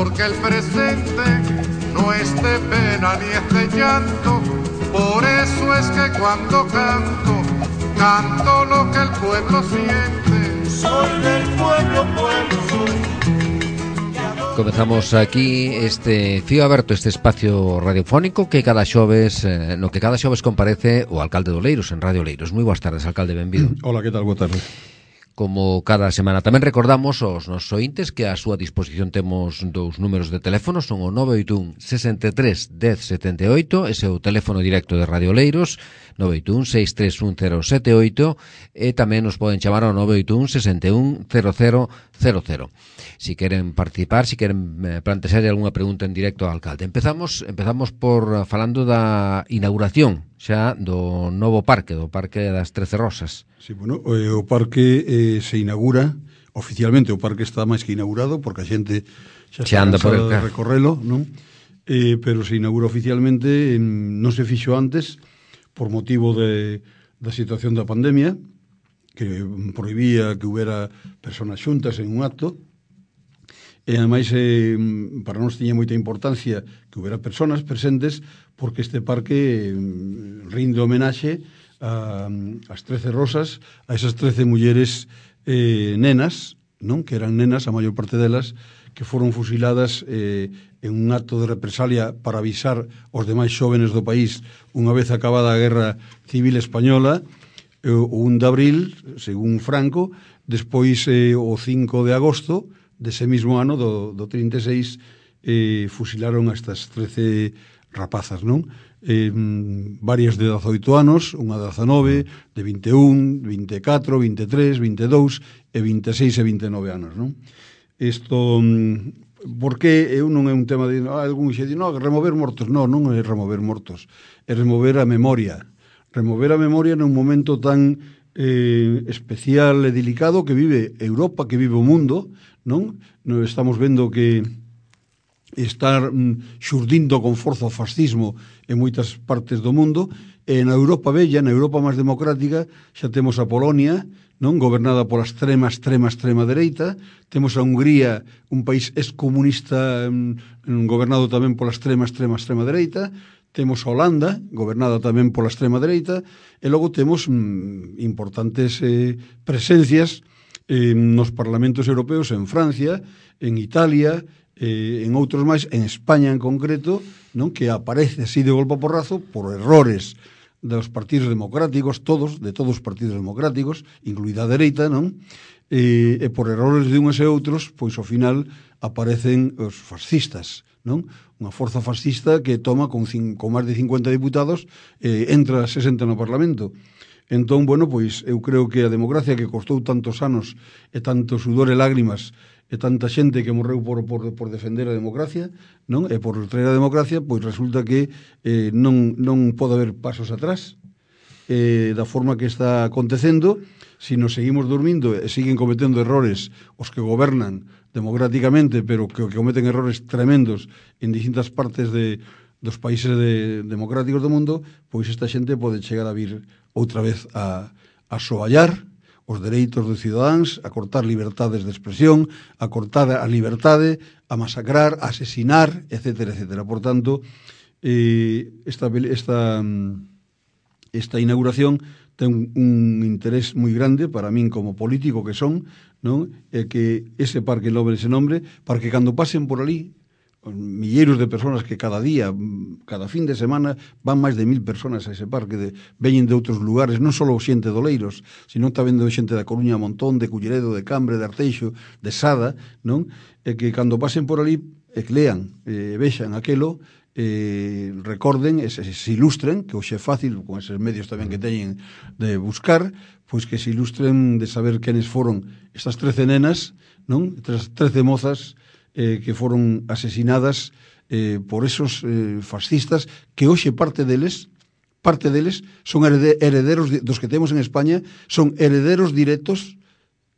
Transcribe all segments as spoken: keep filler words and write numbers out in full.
porque el presente no es de pena ni es de llanto. Por eso es que cuando canto, canto lo que el pueblo siente. Soy del pueblo, pueblo soy. Comezamos aquí este Fío Aberto, este espacio radiofónico que cada xoves, eh, no que cada xoves comparece o alcalde de Oleiros en Radio Oleiros. Moi boas tardes, alcalde, benvido. Hola, que tal? Boa tarde. Como cada semana tamén recordamos aos nosos ointes que a súa disposición temos dous números de teléfono, son o nove oito un, sesenta e tres, dez, setenta e oito, ese é o teléfono directo de Radio Oleiros, nove oito un, seis tres un, cero sete oito, e tamén nos poden chamar ao nove oito un, sesenta e un, cero cero cero cero. Si queren participar, si queren eh, plantear algunha pregunta en directo ao alcalde. Empezamos empezamos por falando da inauguración xa do novo parque, do Parque das Trece Rosas. Sí, bueno, o parque eh, se inaugura oficialmente, o parque está máis que inaugurado porque a xente xa está anda por el cansada de recorrelo, non? Eh, pero se inaugura oficialmente, eh, non se fixo antes por motivo de, da situación da pandemia, que prohibía que houbera personas xuntas en un acto, e ademais eh, para nós tiña moita importancia que houbera personas presentes porque este parque eh, rinde homenaxe a, as trece rosas, a esas trece mulleres eh, nenas, non? Que eran nenas, a maior parte delas, que foron fusiladas eh, en un acto de represalia para avisar aos demais xóvenes do país unha vez acabada a Guerra Civil Española, eh, o un de abril, según Franco, despois eh, o cinco de agosto dese mesmo ano, do, do trinta e seis, eh, fusilaron a estas trece rapazas, non? Eh, varias de dezaoito anos, unha de dezanove, de vinte e un, vinte e catro, vinte e tres, vinte e dous e vinte e seis e vinte e nove anos, non? Isto, porque eu non é un tema de ah, algún xe di, no, remover mortos, non, non é remover mortos, é remover a memoria, remover a memoria nun momento tan eh, especial e delicado que vive Europa, que vive o mundo, non? Non estamos vendo que está mm, xurdindo con forza o fascismo en moitas partes do mundo, e na Europa bella, na Europa máis democrática, xa temos a Polonia, non, gobernada pola extrema, extrema, extrema dereita, temos a Hungría, un país excomunista mm, gobernado tamén pola extrema, extrema, extrema dereita, temos a Holanda, gobernada tamén pola extrema dereita, e logo temos mm, importantes eh, presencias eh, nos parlamentos europeos en Francia, en Italia, eh, en outros máis, en España en concreto, non, que aparece así de golpe a porrazo por errores dos partidos democráticos, todos, de todos os partidos democráticos, incluída a dereita, non? E, e por errores de uns e outros, pois ao final aparecen os fascistas, non? Unha forza fascista que toma con, cin, con máis de cincuenta diputados, eh, entra a sesenta no Parlamento. Entón, bueno, pois eu creo que a democracia que costou tantos anos e tanto sudor e lágrimas e tanta xente que morreu por, por, por defender a democracia, non? E por traer a democracia, pois resulta que eh, non, non pode haber pasos atrás eh, da forma que está acontecendo. Si nos seguimos dormindo e siguen cometendo errores os que gobernan democráticamente, pero que, que cometen errores tremendos en distintas partes de, dos países de, democráticos do mundo, pois esta xente pode chegar a vir outra vez a, a soallar os dereitos dos cidadáns, a cortar libertades de expresión, a cortar a liberdade, a masacrar, a asesinar, etcétera, etcétera. Por tanto, eh, esta, esta, esta inauguración ten un, un interés moi grande para min como político que son, non? É que ese parque lobre ese nombre, para que cando pasen por ali, milleiros de personas que cada día, cada fin de semana, van máis de mil personas a ese parque, de, veñen de outros lugares, non só xente de Oleiros, sino tamén de xente da Coruña, Montón, de Culleredo, de Cambre, de Arteixo, de Sada, non? E que cando pasen por ali, e que lean, e vexan aquelo, eh, recorden, e se, se ilustren, que hoxe é fácil, con eses medios tamén que teñen de buscar, pois que se ilustren de saber quenes foron estas trece nenas, non? Estas trece mozas, Eh, que foron asesinadas eh, por esos eh, fascistas que hoxe parte deles parte deles son herederos de, dos que temos en España, son herederos directos,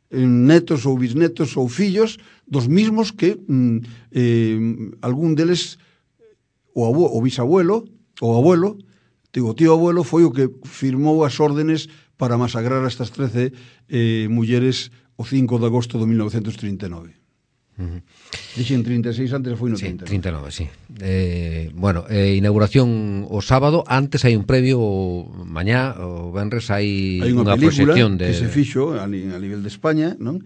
eh, netos ou bisnetos ou fillos dos mismos que mm, eh, algún deles o, abuelo, o bisabuelo o abuelo, digo, o tío abuelo foi o que firmou as órdenes para masacrar a estas trece eh, mulleres o cinco de agosto de mil novecentos trinta e nove. Uh-huh. Dixen trinta e seis, antes foi no sí, trinta e nove. trinta e nove, sí. Eh, bueno, eh, inauguración o sábado, antes hai un previo o mañá, o venres hai, hai unha, unha película proxección de... que se fixo a, a nivel de España, non?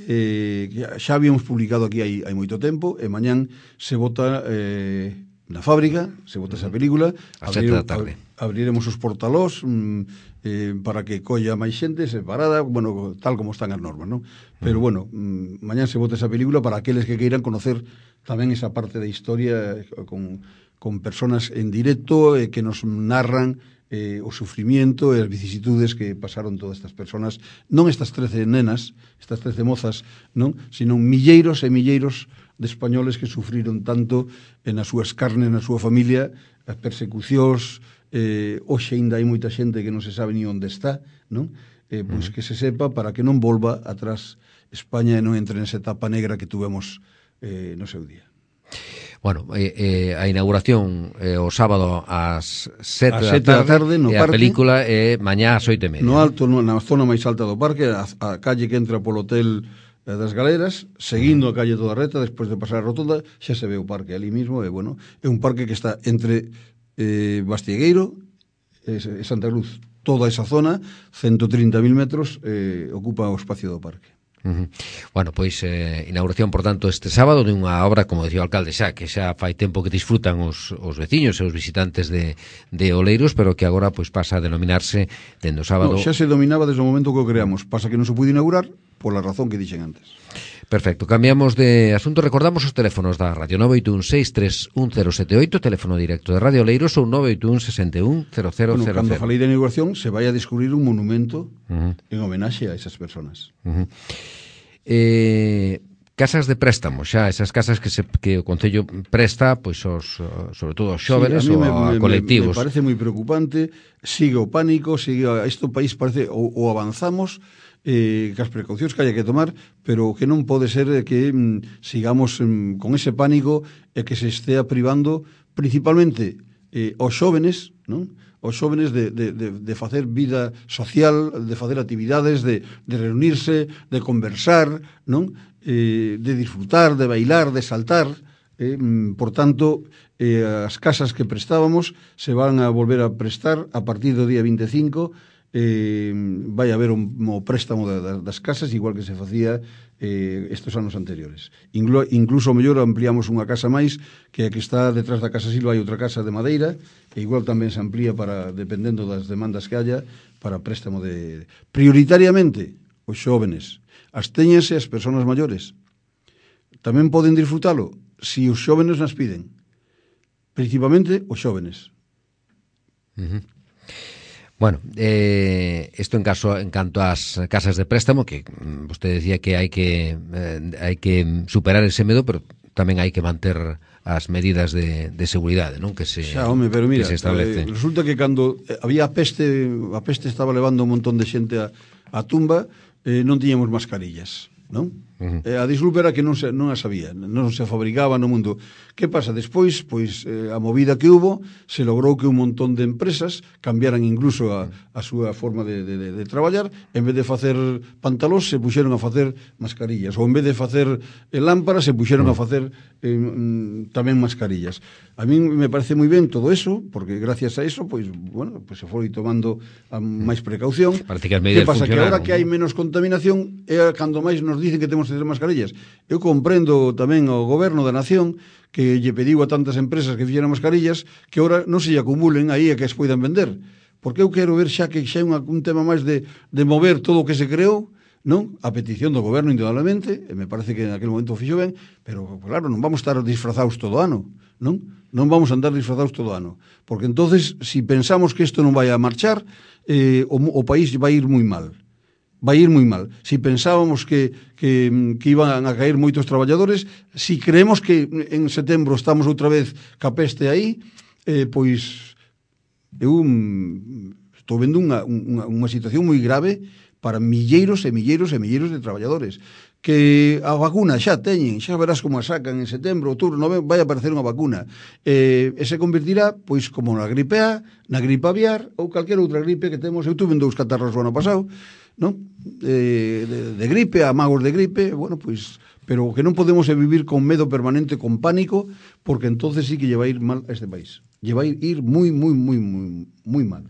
Eh, que xa habíamos publicado aquí hai, hai moito tempo, e mañán se vota eh, na fábrica, se vota esa película a sete da tarde. Abriremos os portalós mm, eh, para que colla máis xente separada, bueno, tal como están as normas, non? Pero bueno, mm, mañán se vota esa película para aqueles que queiran conocer tamén esa parte da historia con, con personas en directo eh, que nos narran eh, o sufrimiento e as vicisitudes que pasaron todas estas personas, non estas trece nenas, estas trece mozas, non? Sino milleiros e milleiros de españoles que sufriron tanto en as súas carnes, na súa familia, as persecucións. Eh, hoxe ainda hai moita xente que non se sabe ni onde está, non? Eh, pois uh-huh. que se sepa para que non volva atrás España e non entre nesa etapa negra que tuvemos eh, no seu día. Bueno, eh, eh, a inauguración eh, o sábado ás sete da tarde, tarde no e a parque, película é eh, mañá ás oito e media. No alto, no, na zona máis alta do parque, a, a calle que entra polo hotel eh, das Galeras, seguindo a calle toda reta, despois de pasar a rotonda, xa se ve o parque ali mismo, e bueno, é un parque que está entre eh, Bastiegueiro e eh, Santa Cruz. Toda esa zona, ciento trinta mil metros, eh, ocupa o espacio do parque. Uh-huh. Bueno, pois eh, inauguración, por tanto, este sábado de unha obra, como dicía o alcalde xa, que xa fai tempo que disfrutan os, os veciños e os visitantes de, de Oleiros, pero que agora pois pasa a denominarse dende o sábado. No, xa se dominaba desde o momento que o creamos, pasa que non se pude inaugurar pola razón que dixen antes. Perfecto, cambiamos de asunto, recordamos os teléfonos da radio nove oito un seis tres un cero sete oito, teléfono directo de Radio Oleiros, ou nove oito un sesenta e un cero cero cero cero. Bueno, cando falei de inauguración se vai a descubrir un monumento uh-huh. en homenaxe a esas personas. Uh-huh. Eh, casas de préstamo, xa esas casas que se, que o Concello presta, pois os, sobre todo aos xóvenes, sí, ou a, a colectivos. Me, me parece moi preocupante, sigue o pánico, sigue a, este país parece ou, ou avanzamos eh, que as precaucións que haya que tomar, pero que non pode ser que mm, sigamos mm, con ese pánico e que se estea privando principalmente eh, aos xóvenes, non? Os xóvenes de, de, de, de facer vida social, de facer actividades, de, de reunirse, de conversar, non? Eh, de disfrutar, de bailar, de saltar. Eh, por tanto, eh, as casas que prestábamos se van a volver a prestar a partir do día vinte e cinco. Eh, vai haber un, un préstamo da, da, das casas, igual que se facía eh, estes anos anteriores. Inclu, incluso mellor ampliamos unha casa máis, que a que está detrás da Casa Silva hai outra casa de madeira, e igual tamén se amplía para, dependendo das demandas que haya, para préstamo de... Prioritariamente, os xóvenes. Abstéñense as persoas maiores. Tamén poden disfrutalo si os xóvenes nas piden. Principalmente os xóvenes. Uh-huh. Bueno, eh, esto en caso en canto ás casas de préstamo, que vostede decía que hai que eh, hai que superar ese medo, pero tamén hai que manter as medidas de, de seguridade, non? Que se Xa, home, pero mira, que se establecen. Eh, resulta que cando había a peste, a peste estaba levando un montón de xente a, a tumba, eh, non tiñamos mascarillas, non? Uh-huh. Eh, a disculpa era que non se, non as había, non se fabricaba no mundo. Que pasa? Despois, pois, eh, a movida que hubo, se logrou que un montón de empresas cambiaran incluso a, a súa forma de, de, de, de traballar. En vez de facer pantalós, se puxeron a facer mascarillas. Ou en vez de facer eh, lámparas, se puxeron uh-huh. a facer eh, mm, tamén mascarillas. A mí me parece moi ben todo eso, porque gracias a eso, pois, bueno, pois se foi tomando a máis precaución. Parece que as medidas que pasa? Que agora que hai ¿no? menos contaminación, é cando máis nos dicen que temos que ter mascarillas. Eu comprendo tamén ao goberno da nación que lle pediu a tantas empresas que fixeran mascarillas que agora non se lle acumulen aí e que as poidan vender. Porque eu quero ver xa que xa é un, un tema máis de, de mover todo o que se creou, non? A petición do goberno, indudablemente, e me parece que en aquel momento fixo ben, pero, claro, non vamos estar disfrazados todo o ano, non? Non vamos a andar disfrazados todo o ano. Porque entonces, si pensamos que isto non vai a marchar, eh, o, o país vai ir moi mal. Vai ir moi mal. Si pensábamos que, que, que iban a caer moitos traballadores, si creemos que en setembro estamos outra vez ca peste aí, eh, pois eu estou vendo unha, unha, unha situación moi grave para milleiros e milleiros e milleiros de traballadores. Que a vacuna xa teñen, xa verás como a sacan en setembro, outubro, novembro, vai a aparecer unha vacuna. Eh, e se convertirá, pois, como na gripe A, na gripe aviar, ou calquera outra gripe que temos. Eu tuve dous catarros o ano pasado, non? Eh, de, de gripe, amagos de gripe, bueno, pois pero que non podemos vivir con medo permanente, con pánico, porque entonces sí que lle vai ir mal a este país. Lle vai ir moi, moi, moi, moi, moi mal.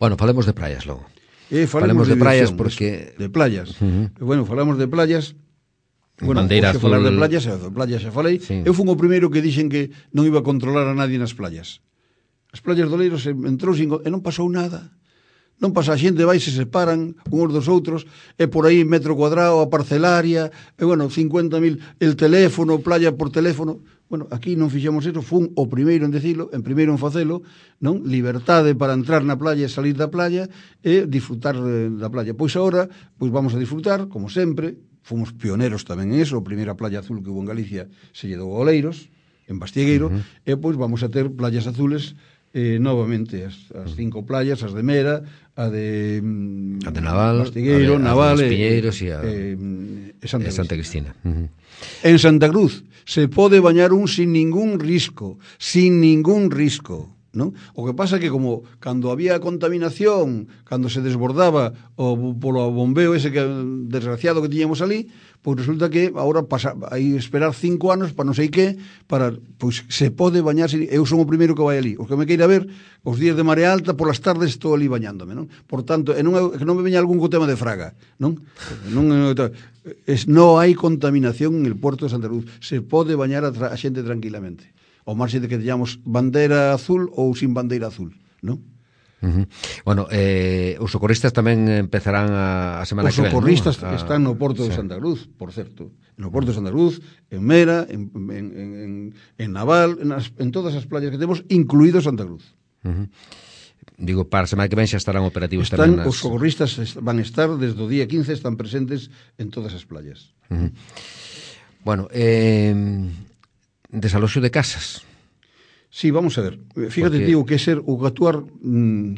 Bueno, falemos de praias logo. Eh, falemos, falemos de, de praias porque... De playas. Uh -huh. Bueno, falamos de playas... Bueno, Bandeira azul... falar de playas, de playas xa falei. Sí. Eu fui o primeiro que dixen que non iba a controlar a nadie nas playas. As playas do Oleiros entrou sin... e non pasou nada. Non pasa, a xente vai, se separan uns dos outros, e por aí metro cuadrado, a parcelaria, e bueno, cincuenta mil, el teléfono, playa por teléfono. Bueno, aquí non fixemos eso, fun o primeiro en decilo, en primeiro en facelo, non? Libertade para entrar na playa e salir da playa e disfrutar da playa. Pois agora, pois vamos a disfrutar, como sempre, fomos pioneros tamén en eso, a primeira playa azul que hubo en Galicia se lle dou a Oleiros, en Bastiegueiro, uh -huh. e pois vamos a ter playas azules eh, novamente, as, as cinco playas, as de Mera, a de, mm, a de Naval, Bastiegueiro, a de, Naval, a de Piñeiros e, a, eh, e Santa, Santa Cristina. Uh -huh. En Santa Cruz se pode bañar un sin ningún risco, sin ningún risco, ¿no? O que pasa que como cando había contaminación, cando se desbordaba o polo bombeo ese que desgraciado que tiñamos ali, pois resulta que agora pasa, aí esperar cinco anos para non sei que, para, pois se pode bañar, eu son o primeiro que vai ali, os que me queira ver, os días de marea alta, polas tardes estou ali bañándome, non? Por tanto, e non, que non me veña algún co tema de Fraga, non? Non, es, non hai contaminación en el puerto de Santa Cruz, se pode bañar a, a xente tranquilamente, ao marxe de que teñamos bandeira azul ou sin bandeira azul, non? Uh -huh. Bueno, eh, os socorristas tamén empezarán a, a semana os que ven. Os socorristas, ¿no? A... están no Porto sí. de Santa Cruz, por certo. No Porto de Santa Cruz, en Mera, en, en, en, en Naval, en, as, en todas as playas que temos, incluído Santa Cruz. Uh -huh. Digo, para a semana que ven xa estarán operativos están, tamén. Nas... Os socorristas van a estar, desde o día quince, están presentes en todas as playas. Uh -huh. Bueno, eh, desaloxo de casas. Sí, vamos a ver. Fíjate, porque... digo, que ser o que actuar mmm,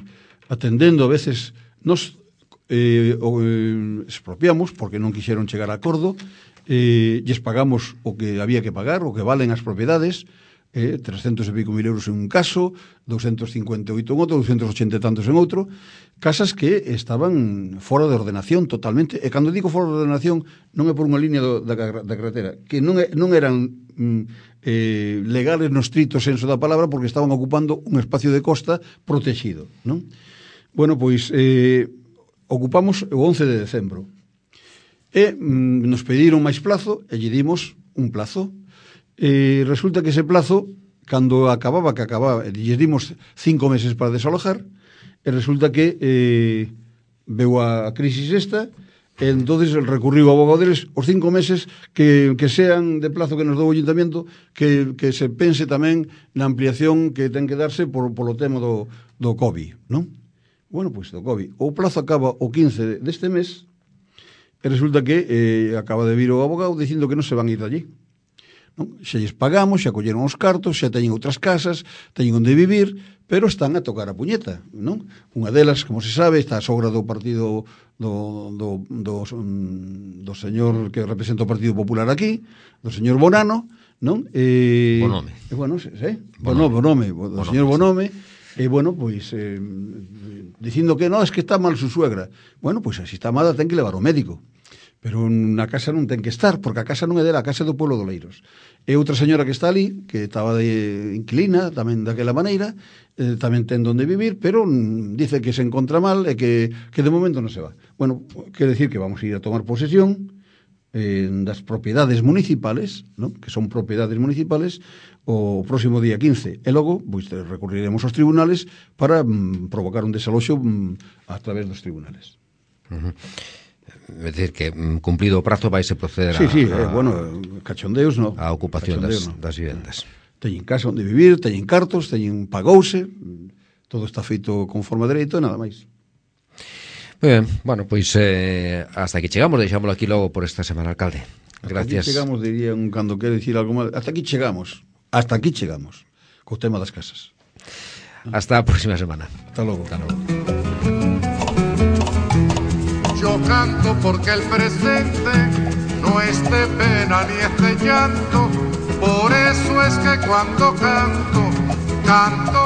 atendendo a veces nos eh, o, eh, expropiamos porque non quixeron chegar a acordo, eh, lles pagamos o que había que pagar, o que valen as propiedades, eh, trescentos e pico mil euros en un caso, doscientos cincuenta e oito en outro, doscientos ochenta e tantos en outro, casas que estaban fora de ordenación totalmente, e cando digo fora de ordenación non é por unha línea do, da, da carretera, que non, é, non eran mm, eh, legales no estrito senso da palabra, porque estaban ocupando un espacio de costa protegido, non? Bueno, pois eh, ocupamos o once de decembro e mm, nos pediron máis plazo e lle dimos un plazo. E resulta que ese plazo, cando acababa, que acababa, lle dimos cinco meses para desalojar, e resulta que eh, veu a crisis esta, e entonces recurriu ao abogado deles os cinco meses que, que sean de plazo que nos dou o Ayuntamiento, que, que se pense tamén na ampliación que ten que darse por, polo tema do, do COVID, non? Bueno, pois do COVID. O plazo acaba o quince deste mes, e resulta que eh, acaba de vir o abogado dicindo que non se van ir de allí. Non? Xa lles pagamos, xa colleron os cartos, xa teñen outras casas, teñen onde vivir, pero están a tocar a puñeta, non? Unha delas, como se sabe, está a sogra do partido do, do, do, do señor que representa o Partido Popular aquí, do señor Bonano, non? E, Bonome. E, bueno, sí, sí, Bonome, Bonome, do Bonome, señor Bonome, sí. E, bueno, pois, eh, dicindo que non, es que está mal su suegra. Bueno, pois, así está mala, ten que levar ao médico. Pero na casa non ten que estar, porque a casa non é dela, a casa é do pueblo de Oleiros. E outra señora que está ali, que estaba de inquilina, tamén daquela maneira, eh, tamén ten donde vivir, pero mm, dice que se encontra mal e que, que de momento non se va. Bueno, quere decir que vamos a ir a tomar posesión eh, das propiedades municipales, ¿no? Que son propiedades municipales, o próximo día quince. E logo, pois, recurriremos aos tribunales para mm, provocar un desaloxo mm, a través dos tribunales. Uh -huh. É dicir que cumplido o prazo vaise proceder sí, a, sí, a, eh, bueno, cachondeos no, a ocupación das, no. das vivendas. Teñen casa onde vivir, teñen cartos, teñen pagouse, todo está feito conforme a dereito e nada máis. Moi ben, bueno, pois eh, hasta aquí chegamos, deixámoslo aquí logo por esta semana, alcalde. Gracias. Hasta aquí chegamos, diría un cando quere dicir algo mal, hasta aquí chegamos, hasta aquí chegamos, co tema das casas. Hasta a próxima semana. Hasta logo. Hasta logo. Yo canto porque el presente no es de pena ni es de llanto, por eso es que cuando canto, canto